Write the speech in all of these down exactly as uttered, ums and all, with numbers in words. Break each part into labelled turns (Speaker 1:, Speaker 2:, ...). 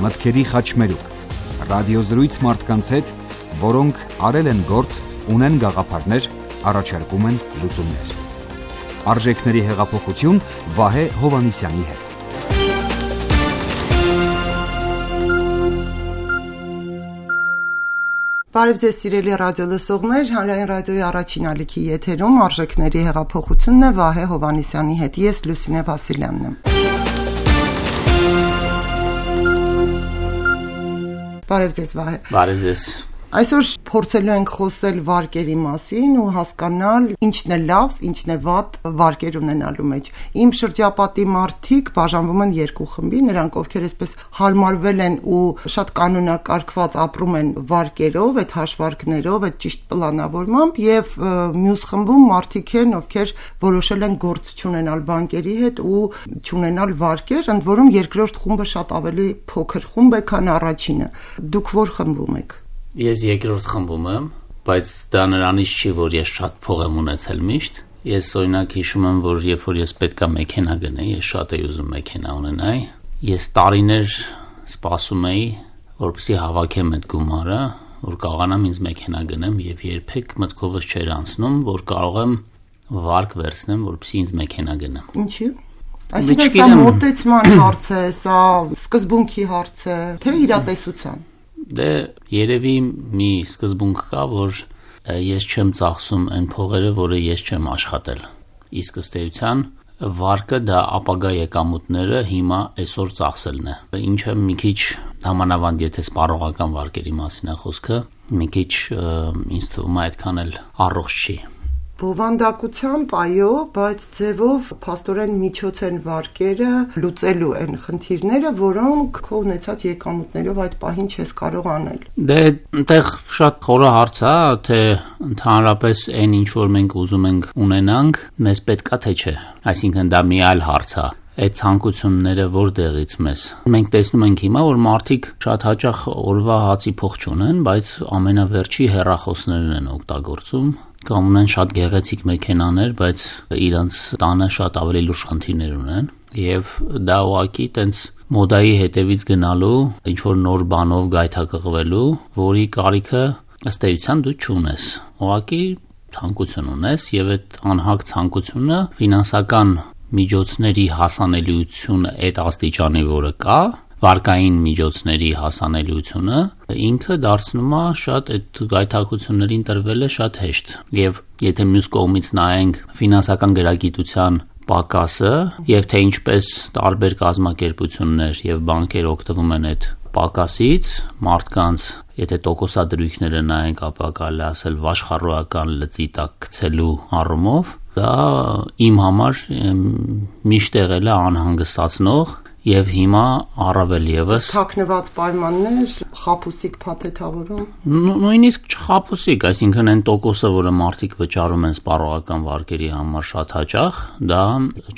Speaker 1: մտքերի խաչմերուկ, ռադիոզրույց մարդկանց հետ, որոնք արել են գործ, ունեն գաղափարներ, առաջարկում են լուծումներ։ Արժեքների հեղափոխություն Վահե Հովհաննիսյանի հետ։
Speaker 2: Բարև ձեզ սիրելի ռադիոլսողներ, հանրային ռադիոյի առաջին ալիքի եթերում արժեքների հեղափոխությունն է Վահե Հովհաննիսյանի հետ, ես Լուսինե Վասիլյանն եմ։ Բարև ձեզ Վահե։
Speaker 3: Բարև ձեզ։
Speaker 2: Այսօր փորձելու ենք խոսել վարկերի մասին ու հասկանալ ինչն է լավ, ինչն է վատ վարկեր ունենալու մեջ։ Իմ շրջապատի մարդիկ բաժանվում են երկու խմբի, նրանք ովքեր այսպես հարմարվել են ու շատ կանոնակարգված ապրում են վարկերով, այդ հաշվարկներով, այդ ճիշտ պլանավորմամբ, եւ մյուս խմբում մարդիկ են, ովքեր որոշել են գործ չունենալ բանկերի հետ ու չունենալ վարկեր, ընդ որում երկրորդ խումբը շատ ավելի փոքր խումբ է, քան առաջինը։ Դուք որ խմբում եք։
Speaker 3: Ես երկրորդ խմբում եմ, բայց դա նրանից չի, որ ես շատ փող եմ ունեցել միշտ։ Ես օրինակ հիշում եմ, որ երբ որ ես պետքա մեքենա գնեի, ես շատ էի ուզում մեքենա ունենայի։ Ես տարիներ սպասում էի, որպեսզի հավաքեմ այդ գումարը, որ կարողանամ ինձ մեքենա գնեմ, եւ երբեք մտքովս չէր անցնում, որ կարող եմ վարկ վերցնեմ, որպեսզի ինձ մեքենա գնեմ։
Speaker 2: Ինչի՞։ Այսինքն սա մոտեցման հարց է, սա սկզբունքի հարց է, թե իրատեսության։
Speaker 3: Դե երևի մի սկզբունք կա, որ ես չեմ ծախսում այն փողերը, որը ես չեմ աշխատել։ Իսկ ըստ էության վարկը դա ապագա եկամուտները հիմա այսօր ծախսելն է։ Ինչը մի քիչ համանավանդ, եթե սպառողական վարկերի մասին է խոսքը, մի քիչ ինձ թվում է այդքան էլ առողջ չի։
Speaker 2: Բովանդակությամբ այո, բայց ձևով փաստորեն միջոց են վարկերը լուծելու են խնդիրները, որոնք քո ունեցած եկամուտներով այդ պահին չես կարող անել։
Speaker 3: Դե այնտեղ շատ խորը հարց է, թե ընդհանրապես այն ինչ որ մենք ուզում ենք ունենանք, մեզ պետքա թե չէ։ Այսինքն դա մի այլ հարց է։ Այդ ցանկությունները որտեղից մեզ։ Մենք տեսնում ենք հիմա, որ մարդիկ շատ հաճախ օրվա հացի փող չունեն, բայց ամենավերջի հեռախոսներն են օգտագործում, կամ ունեն շատ գեղեցիկ մեքենաներ, բայց իրանց տանը շատ ավելի լուրջ խնդիրներ ունեն, եւ դա ուղղակի տենց մոդայի հետևից գնալու, ինչ որ նոր բանով գայթակղվելու, որի կարիքը ըստ էության դու չունես։ Ուղղակի ցանկություն ունես, եւ այդ անհագ ցանկությունը ֆինանսական միջոցների հասանելիությունը այդ աստիճանի, որը կա, վարկային միջոցների հասանելիությունը, ինքը դարձնում է շատ այդ գայթակղություններին տրվելը շատ հեշտ։ Եվ եթե մյուս կողմից նայենք ֆինանսական գրագիտության պակասը, եւ թե ինչպես տարբեր կազմակերպություններ եւ բանկեր օգտվում են այդ պակասից, մարդկանց, եթե տոկոսադրույքները նայենք, ապա կարելի ասել վաշխառոական լծի տակ գցելու առումով, դա իմ համար միշտ եղել է անհանգստացնող եւ հիմա առավել եւս
Speaker 2: թաքնված պայմաններ, խաբուսիկ փաթեթավորում։
Speaker 3: Նույնիսկ չխաբուսիկ, այսինքն այն տոկոսը, որը մարդիկ վճարում են սպառողական վարկերի համար շատ հաճախ, դա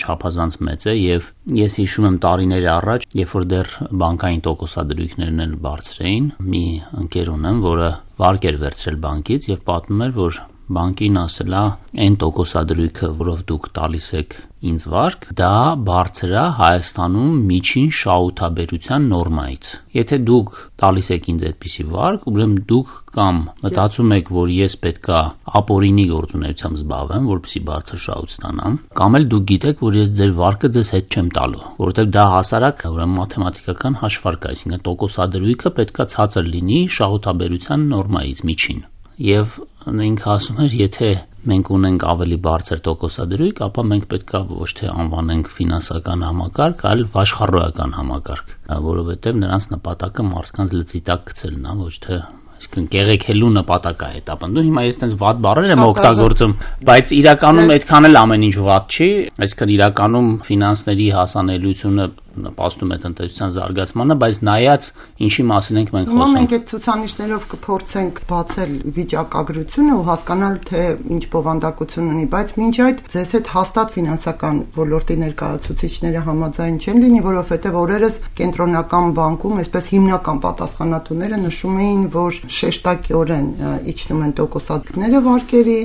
Speaker 3: չափազանց մեծ է եւ ես հիշում եմ տարիներ առաջ, երբ որ դեռ բանկային տոկոսադրույքներն էլ բարձր էին, մի ընկեր ունեմ, որը վարկ էր վերցրել բանկից եւ պատմում էր, որ բանկին ասել է այն տոկոսադրույքը, որով դուք տալիս եք ինձ վարկ, դա բարձր է Հայաստանում միջին շահութաբերության նորմայից։ Եթե դուք տալիս եք ինձ այդպիսի վարկ, ուրեմն դուք կամ մտածում եք, որ ես պետքա ապօրինի գործունեությամբ զբաղվեմ, որպեսզի բարձր շահույթ ստանամ, կամ էլ դուք գիտեք, որ ես ձեր վարկը ձեզ հետ չեմ տալու, որովհետև դա հասարակ ուրեմն մաթեմատիկական հաշվարկ է, այսինքն տոկոսադրույքը պետքա ցածր լինի շահութաբերության նորմայից միջին։ Եվ ինքը ասում էր, եթե մենք ունենք ավելի բարձր տոկոսադրույք, ապա մենք պետք է ոչ թե անվանենք ֆինանսական համակարգ, այլ վաշխառոական համակարգ, որովհետև նրանց նպատակը մարդկանց լծի տակ գցելն է, ոչ թե այսինքն կեղեքելու նպատակը հետապնդում։ Հիմա ես այդպես վատ բառեր եմ օգտագործում, բայց իրականում այդքան էլ ամեն ինչ վատ չի, այսինքն իրականում ֆինանսների հասանելիությունը նպաստում է տնտեսության զարգացմանը, բայց նայած ինչի մասին ենք մենք խոսում։
Speaker 2: Մենք այդ ցուցանիշներով կփորձենք բացել վիճակագրությունը ու հասկանալ, թե ինչ բովանդակություն ունի, բայց մինչ այդ ձեզ հետ հաստատ ֆինանսական ոլորտի ներկայացուցիչները համաձայն չեն լինի, որովհետև օրերս կենտրոնական բանկում այսպես հիմնական պատասխանատուները նշում էին, որ շեշտակիորեն իջնում են տոկոսադրույքները վարկերի,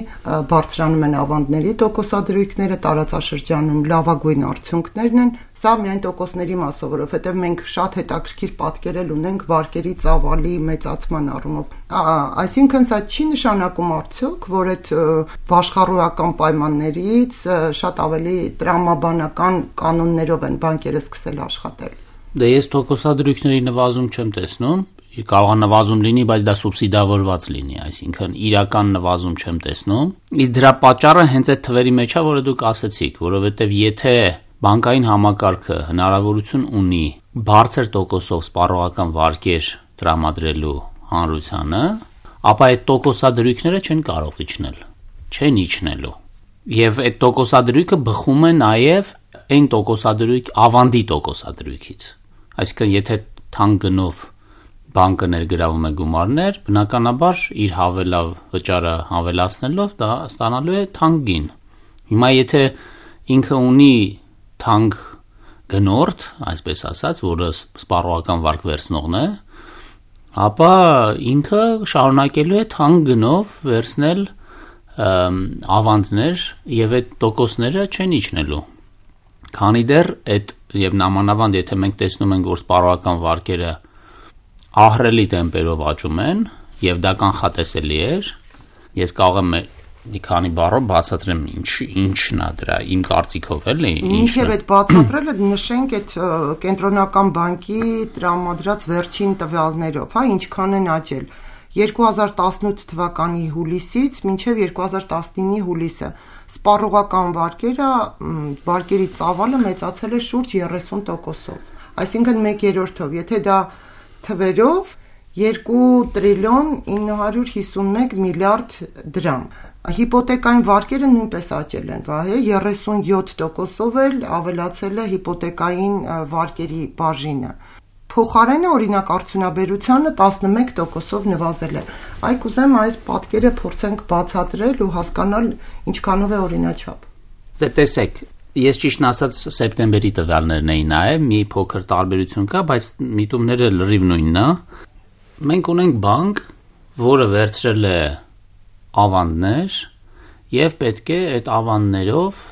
Speaker 2: բարձրանում են ավանդների տոկոսադրույքները, տարածաշրջանում լավագույն արդյունքներն են, սա միայն տոկոս տոկոսների մասով, որովհետև մենք շատ հետաքրքիր պատկերել ունենք վարկերի ծավալի մեծացման առումով։ Այսինքն սա չի նշանակում արդյոք, որ այդ աշխարհական պայմաններից շատ ավելի տրամաբանական կանոններով են բանկերը սկսել աշխատել։
Speaker 3: Դե ես տոկոսադրույքների նվազում չեմ տեսնում, կարող է նվազում լինի, բայց դա սուբսիդավորված լինի, այսինքն իրական նվազում չեմ տեսնում։ Իսկ դրա պատճառը հենց այդ թվերի մեջ է, որը դուք ասացիք, որովհետև եթե բանկային համակարգը հնարավորություն ունի բարձր տոկոսով սպառողական վարկեր տրամադրելու հանրությանը, ապա այդ տոկոսադրույքները չեն կարող իջնել, չեն իջնելու։ Եվ այդ տոկոսադրույքը բխում է նաև այն տոկոսադրույք ավանդի տոկոսադրույքից։ Այսինքն եթե թանկ գնով բանկը ներգրավում է գումարներ, բնականաբար իր հավելավ վճարը հավելացնելով դա ստանալու է թանկ գին։ Հիմա եթե ինքը ունի թանկ գնորդ, այսպես ասած, որը սպառողական վարկ վերցնողն է, ապա ինքը շարունակելու է թանկ գնով վերցնել ավանդներ եւ այդ տոկոսները չեն իջնելու։ Քանի դեռ այդ եւ նամանավանդ եթե մենք տեսնում ենք, որ սպառողական վարկերը ահռելի տեմպերով աճում են եւ դա կանխատեսելի էր, ես կարող եմ մի քանի բառով բացատրեմ ինչ ինչն է դրա իմ կարծիքով էլի
Speaker 2: ինչև այդ բացատրելը նշենք այդ կենտրոնական բանկի տրամադրած վերջին տվյալներով, հա, ինչքան են աճել երկու հազար տասնութ թվականի հուլիսից մինչև երկու հազար տասնինի հուլիսը սպառողական վարկերը վարկերի ծավալը մեծացել է շուրջ երեսուն տոկոսով, այսինքն մեկ երրորդով, եթե դա թվերով երկու տրիլիոն ինը հարյուր հիսունմեկ միլիարդ դրամ։ Հիպոթեկային վարկերը նույնպես աճել են, վահե երեսունյոթ տոկոսով էլ ավելացել է հիպոթեկային վարկերի բաժինը։ Փոխարենը օրինակ արդյունաբերությանը տասնմեկ տոկոսով նվազել է։ Այ կուզեմ այս պատկերը փորձենք բացատրել ու հասկանալ ինչքանով է օրինաչափ։
Speaker 3: Դե տեսեք, ես ճիշտն ասած սեպտեմբերի տվյալներն էի նայել, մի փոքր տարբերություն կա, բայց միտումները լրիվ նույնն է։ Մենք ունենք բանկ, որը վերցրել է ավանդներ եւ պետք է այդ ավանդներով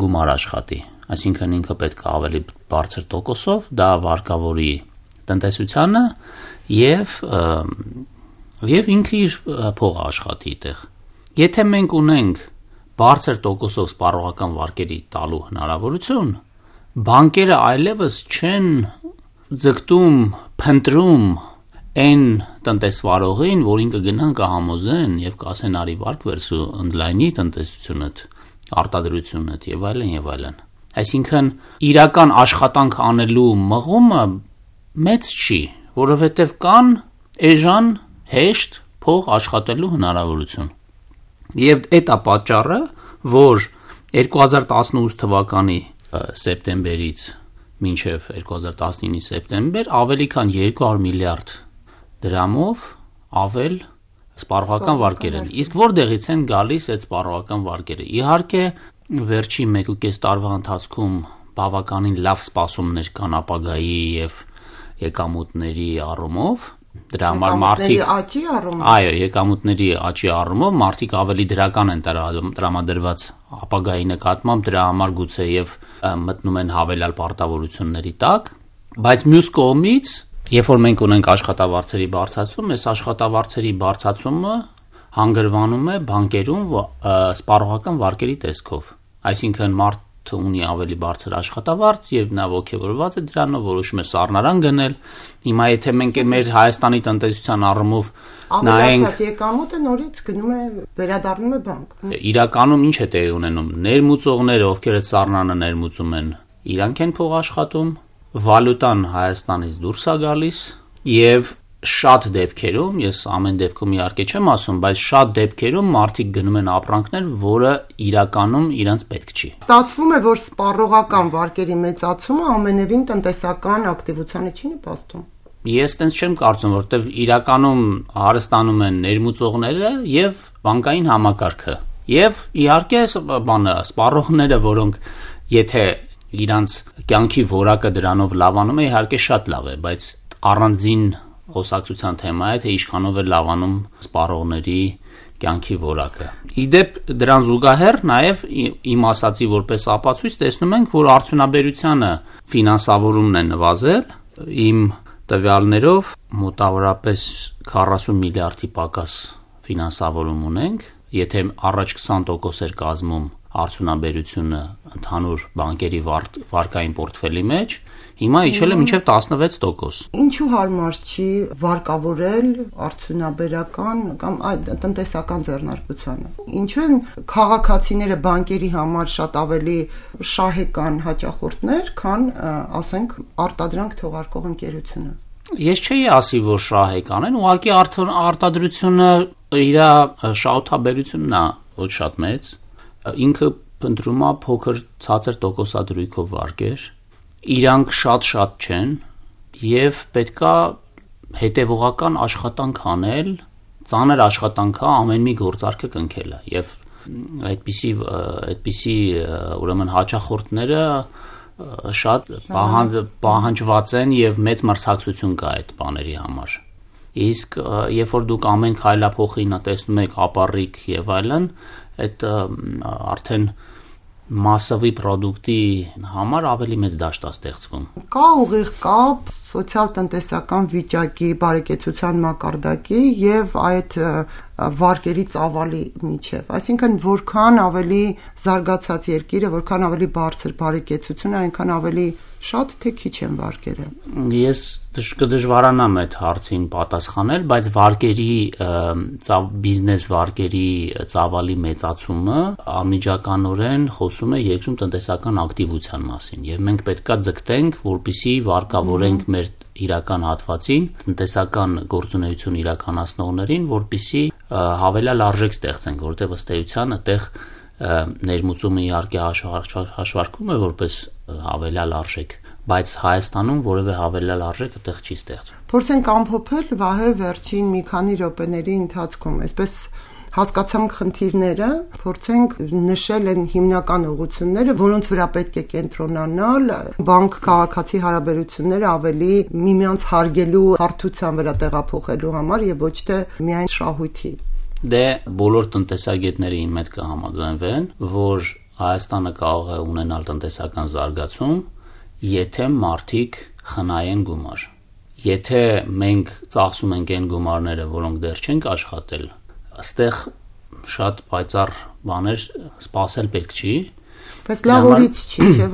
Speaker 3: գումար աշխատի։ Այսինքն ինքը պետք է ավելի բարձր տոկոսով դա վարկավորի տնտեսությանը եւ եւ ինքը իր փողը աշխատի այդտեղ։ Եթե մենք ունենք բարձր տոկոսով սպառողական վարկերի տալու հնարավորություն, բանկերը այլևս չեն ձգտում, փնտրում այն տնտեսվարողին, որ ինքը գնան կհամոզեն եւ կասեն արի վարկ վերցու ընդլայնի տնտեսությունդ, արտադրությունդ եւ այլն եւ այլն։ Այսինքն իրական աշխատանք անելու մղումը մեծ չի, որովհետև կան էժան հեշտ փող աշխատելու հնարավորություն։ Եվ այդ է պատճառը, որ երկու հազար տասնութ թվականի սեպտեմբերից մինչև երկու հազար տասնինի սեպտեմբեր ավելի քան երկու հարյուր միլիարդ դրամով ավել սպառողական վարկեր են։ Իսկ որտեղից են գալիս այդ սպառողական վարկերը։ Իհարկե վերջի մեկ ու կես տարվա ընթացքում բավականին լավ սպասումներ կան ապագայի եւ եկամուտների առումով, դրա համար մարդիկ
Speaker 2: աճի առումով,
Speaker 3: այո, եկամուտների աճի առումով մարդիկ ավելի դրական են տրամադրված ապագայի նկատմամբ, դրա համար գուցե եւ մտնում են հավելյալ պարտավորությունների տակ, բայց մյուս կողմից, երբ որ մենք ունենք աշխատավարձերի բարձրացում, այս աշխատավարձերի բարձրացումը հանգրվանում է բանկերում սպառողական վարկերի տեսքով, այսինքն մարդը ունի ավելի բարձր աշխատավարձ եւ նա ոգևորված է դրանով, որոշում է սառնարան գնել։ Հիմա եթե մենք մեր Հայաստանի տնտեսության առումով նայենք,
Speaker 2: եկամուտը նորից գնում է վերադառնում է բանկ։
Speaker 3: Իրականում ինչ է տեղի ունենում։ Ներմուծողները, ովքեր այդ սառնանը ներմուծում են, իրանք են փող աշխատում, վալյուտան Հայաստանից դուրս է գալիս եւ շատ դեպքերում, ես ամեն դեպքում իհարկե չեմ ասում, բայց շատ դեպքերում մարդիկ գնում են ապրանքներ, որը իրականում իրանց պետք չի։
Speaker 2: Ստացվում է, որ սպառողական վարկերի մեծացումը ամենևին տնտեսական ակտիվությանը չի նպաստում։
Speaker 3: Ես տենց չեմ կարծում, որովհետև իրականում հարստանում են ներմուծողները եւ բանկային համակարգը։ Եվ իհարկե բանը սպառողները, որոնք եթե իրանց կյանքի որակը դրանով լավանում է, իհարկե շատ լավ է, բայց առանձին խոսակցության թեմա է, թե ինչքանով է լավանում սպառողների կյանքի որակը։ Իդեպ դրան զուգահեռ նաև իմ ասացի որպես ապացույց տեսնում ենք, որ արդյունաբերությանը ֆինանսավորումն է նվազել, իմ տվյալներով մոտավորապես քառասուն միլիարդի պակաս ֆինանսավորում ունենք, եթե առաջ քսան տոկոս էր կազմում արդյունաբերությունը ընդհանուր բանկերի վարկային պորտֆելի մեջ, հիմա իջել է մինչև տասնվեց տոկոս։
Speaker 2: Ինչու հարմար չի վարկավորել արդյունաբերական կամ այդ տնտեսական ձեռնարկությանը։ Ինչու են քաղաքացիները բանկերի համար շատ ավելի շահեկան հաճախորդներ, քան ասենք արտադրանք թողարկող ընկերությունը։
Speaker 3: Ես չէի ասի, որ շահեկան են, ուղղակի արտադրությունը իր շահութաբերությունն է ոչ շատ մեծ, ինքը փնտրում է փոքր ցածր տոկոսադրույքով վարկեր, իրանք շատ-շատ չեն եւ պետքա հետեւողական աշխատանք անել, ծանր աշխատանք է ամեն մի գործարքը կնքելը եւ այդպիսի այդպիսի ուրեմն հաճախորդները շատ պահանջված են եւ մեծ մրցակցություն կա այդ բաների համար։ Իսկ երբ որ դուք ամեն քայլափոխին տեսնում եք ապառիկ եւ այլն, այդ արդեն մասսովի պրոդուկտի համար ավելի մեծ դաշտ է ստեղծվում։
Speaker 2: Կա ուղիղ կապ սոցիալ-տնտեսական վիճակի, բարեկեցության մակարդակի եւ այդ վարկերի ծավալի միջև։ Այսինքն, որքան ավելի զարգացած երկիրը, որքան ավելի բարձր բարեկեցությունը, այնքան ավելի շատ թե քիչ են վարկերը։
Speaker 3: Ես կդժվարանամ այդ հարցին պատասխանել, բայց վարկերի բիզնես վարկերի ծավալի մեծացումը անմիջականորեն խոսում է երկրում տնտեսական ակտիվության մասին, եւ մենք պետքա ձգտենք, որպեսզի վարկավորենք մեր իրական հատվածին, տնտեսական գործունեություն իրականացնողներին, որպեսզի հավելյալ արժեք ստեղծենք, որտեղ ըստ էության այդտեղ ներմուծումը իհարկե հաշվարկվում է որպես հավելյալ արժեք, բայց Հայաստանում որևէ հավելյալ արժեք այդտեղ չի ստեղծվում։
Speaker 2: Փորձենք ամփոփել Վահե վերջին մի քանի րոպեների ընթացքում, այսպես հասկացանք խնդիրները, փորձենք նշել են հիմնական ուղղությունները, որոնց վրա պետք է կենտրոնանալ, բանկ-քաղաքացի հարաբերությունները ավելի միմյանց հարգելու հարթության վրա տեղափոխելու համար եւ ոչ թե միայն շահույթի։
Speaker 3: Դե բոլոր տնտեսագետները իմ հետ կհամաձայնվեն, որ Հայաստանը կարող է ունենալ տնտեսական զարգացում, եթե մարդիկ խնայեն գումար։ Եթե մենք ծախսում ենք այն գումարները, որոնք դեռ չենք աշխատել, այստեղ շատ պայծառ բաներ սպասել պետք չի։
Speaker 2: Բայց լավ օրից չի, չէ՞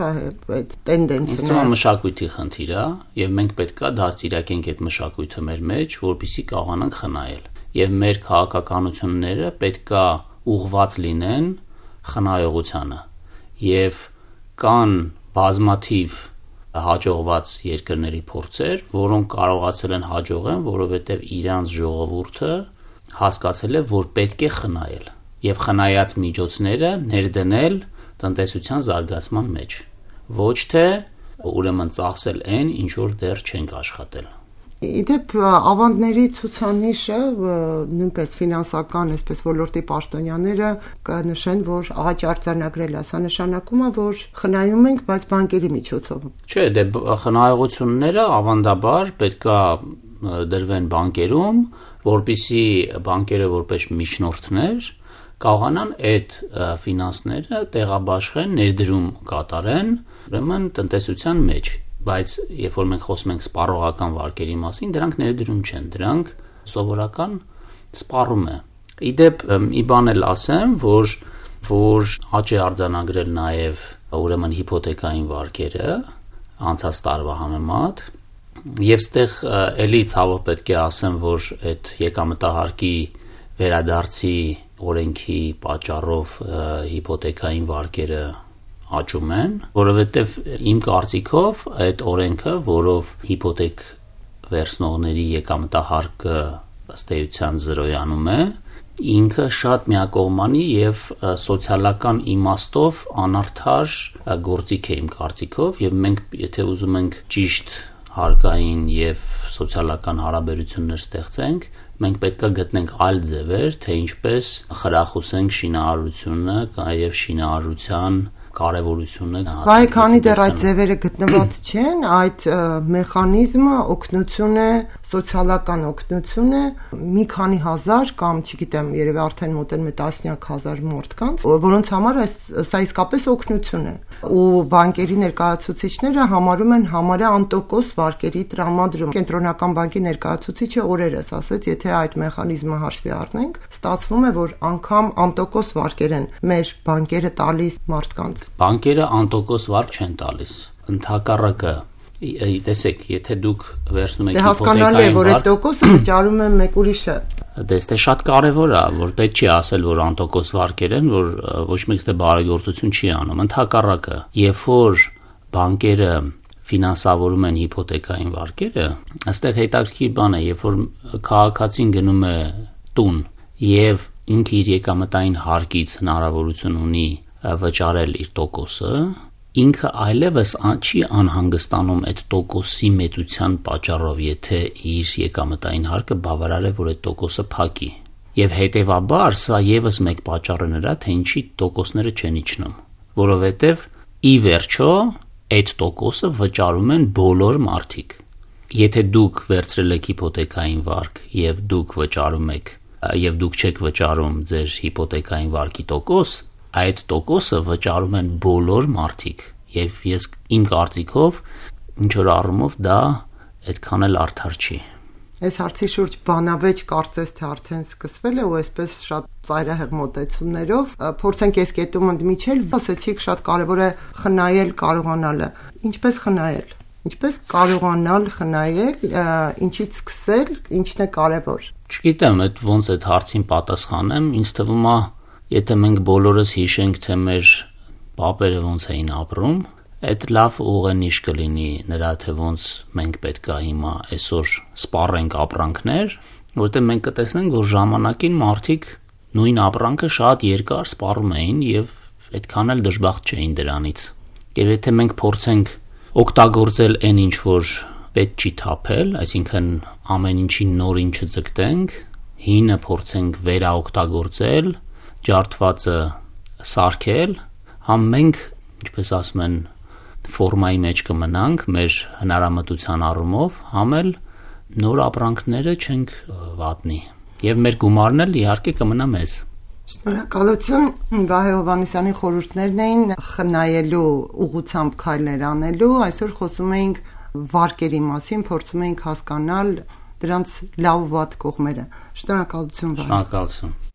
Speaker 2: այդ տենդենսը։
Speaker 3: Իսկ մշակույթի խնդիր է, եւ մենք պետքա դաստիարակենք այդ մշակույթը մեր մեջ, որպեսզի կարողանանք խնայել։ Եվ մեր քաղաքականությունները պետքա ուղղված լինեն խնայողությանը։ Եվ կան բազմաթիվ հաջողված երկրների փորձեր, որոնք կարողացել են հաջողեն, որովհետև իրանց ժողովուրդը հասկացել է, որ պետք է խնայել եւ խնայած միջոցները ներդնել տնտեսության զարգացման մեջ, ոչ թե ուրեմն ծախսել այն, ինչ որ դեռ չենք աշխատել։
Speaker 2: Իդեպ ավանդների ցուցանիշը նույնպես ֆինանսական, այսպես ոլորտի պաշտոնյաները կնշեն, որ աճ արձանագրել է, սա նշանակում է, որ խնայում ենք, բայց բանկերի միջոցով։
Speaker 3: Չէ, դե խնայողությունները ավանդաբար պետքա դրվեն բանկերում, որպեսզի բանկերը որպես միջնորդներ կարողանան այդ ֆինանսները տեղաբաշխեն, ներդրում կատարեն, ուրեմն տնտեսության մեջ։ Բայց երբ որ մենք խոսում ենք սպառողական վարկերի մասին, դրանք ներդրում չեն, դրանք սովորական սպառում է։ Իդեպ մի բան էլ ասեմ, որ որ աճ է արձանագրել նաև ուրեմն հիփոթեկային վարկերը անցած տարվա համեմատ, եւ ստեղ էլի ցավով պետք է ասեմ, որ այդ եկամտահարկի վերադարձի օրենքի պատճառով հիփոթեկային վարկերը աճում են, որովհետև իմ կարծիքով այդ օրենքը, որով հիփոթեք վերցնողների եկամտահարկը ըստ էության զրոյանում է, ինքը շատ միակողմանի եւ սոցիալական իմաստով անարդար գործիք է իմ կարծիքով, եւ մենք եթե ուզում ենք ճիշտ հարկային եւ սոցիալական հարաբերություններ ստեղծենք, մենք պետք է գտնենք այլ ձևեր, թե ինչպես խրախուսենք շինարարությունը եւ շինարարության կարևորությունը։
Speaker 2: Բայց քանի դեռ այդ ձևերը գտնված չեն, այդ մեխանիզմը օգնություն է, սոցիալական օգնություն է մի քանի հազար կամ չգիտեմ, երևի արդեն մոտեն մի տասնյակ հազար մարդկանց, որոնց համար այս սա իսկապես օգնություն է։ Ու բանկերի ներկայացուցիչները համարում են համարյա անտոկոս վարկերի տրամադրում։ Կենտրոնական բանկի ներկայացուցիչը օրերս ասաց, եթե այդ մեխանիզմը հաշվի առնենք, ստացվում է, որ անգամ անտոկոս վարկեր են մեր բանկերը տալիս մարդկանց։
Speaker 3: Բանկերը անտոկոս վարկ չեն տալիս։ Ընդհակառակը, տեսեք, եթե դուք վերցնում եք
Speaker 2: հիպոթեկային վարկ, հասկանալի է, որ այդ տոկոսը վճարում է մեկ ուրիշը։
Speaker 3: Դե շատ կարևոր է, որ պետք չի ասել, որ անտոկոս վարկեր են, որ ոչ մեկ դե բարեգործություն չի անում։ Ընդհակառակը, երբ որ բանկերը ֆինանսավորում են հիպոթեկային վարկերը, այստեղ հետաքրքիր բան է, երբ որ քաղաքացին գնում է տուն եւ ինքը իր եկամտային հարկից հնարավորություն ունի վճարել իր տոկոսը, ինքը այլևս չի անհանգստանում այդ տոկոսի մեծության պատճառով, եթե իր եկամտային հարկը բավարար է, որ այդ տոկոսը փակի։ Եվ հետևաբար սա եւս մեկ պատճառ է նրա, թե ինչի տոկոսները չեն իջնում, որովհետեւ ի վերջո այդ տոկոսը վճարում են բոլոր մարդիկ։ Եթե դուք վերցրել եք հիպոթեկային վարկ եւ դուք վճարում եք եւ դուք չեք վճարում ձեր հիպոթեկային վարկի տոկոս, այդ տոկոսը վճարում են բոլոր մարդիկ եւ ես իմ կարծիքով ինչ որ առումով դա այդքան էլ արդար չի։
Speaker 2: Այս հարցի շուրջ բանավեճ կարծես թե արդեն սկսվել է ու այսպես շատ ծայրահեղ մոտեցումներով փորձենք այս կետում ընդմիջել, ասեցիք շատ կարևոր է խնայել կարողանալը։ Ինչպես խնայել։ Ինչպես կարողանալ խնայել, ինչից սկսել, ինչն է կարևոր։
Speaker 3: Չգիտեմ, այդ ոնց այդ հարցին պատասխանեմ, ինձ թվում է, եթե մենք բոլորս հիշենք, թե մեր պապերը ոնց էին ապրում, այդ լավ ուղենիշ կլինի նրա, թե ոնց մենք պետք է հիմա այսօր սպառենք ապրանքներ, որտեղ մենք կտեսնենք, որ ժամանակին մարդիկ նույն ապրանքը շատ երկար սպառում էին եւ այդքան էլ դժբախտ չէին դրանից։ Եվ եթե մենք փորձենք օգտագործել այն ինչ որ պետք չի թափել, այսինքն ամեն ինչի նորին չձգտենք, հինը փորձենք վերաօգտագործել, ջարդվածը սարքել, համ մենք, ինչպես ասում են, ֆորմայի մեջ կմնանք մեր հնարամտության առումով, համ էլ նոր ապրանքները չենք վատնի։ Եվ մեր գումարն էլ իհարկե կմնա մեզ։
Speaker 2: Շնորհակալություն Վահե Հովհաննիսյանի խորհուրդներն էին խնայելու ուղղությամբ քայլեր անելու, այսօր խոսում էինք վարկերի մասին, փորձում էինք հասկանալ դրանց լավ ու վատ կողմերը։ Շնորհակալություն Վահե։
Speaker 3: Շնորհակալություն։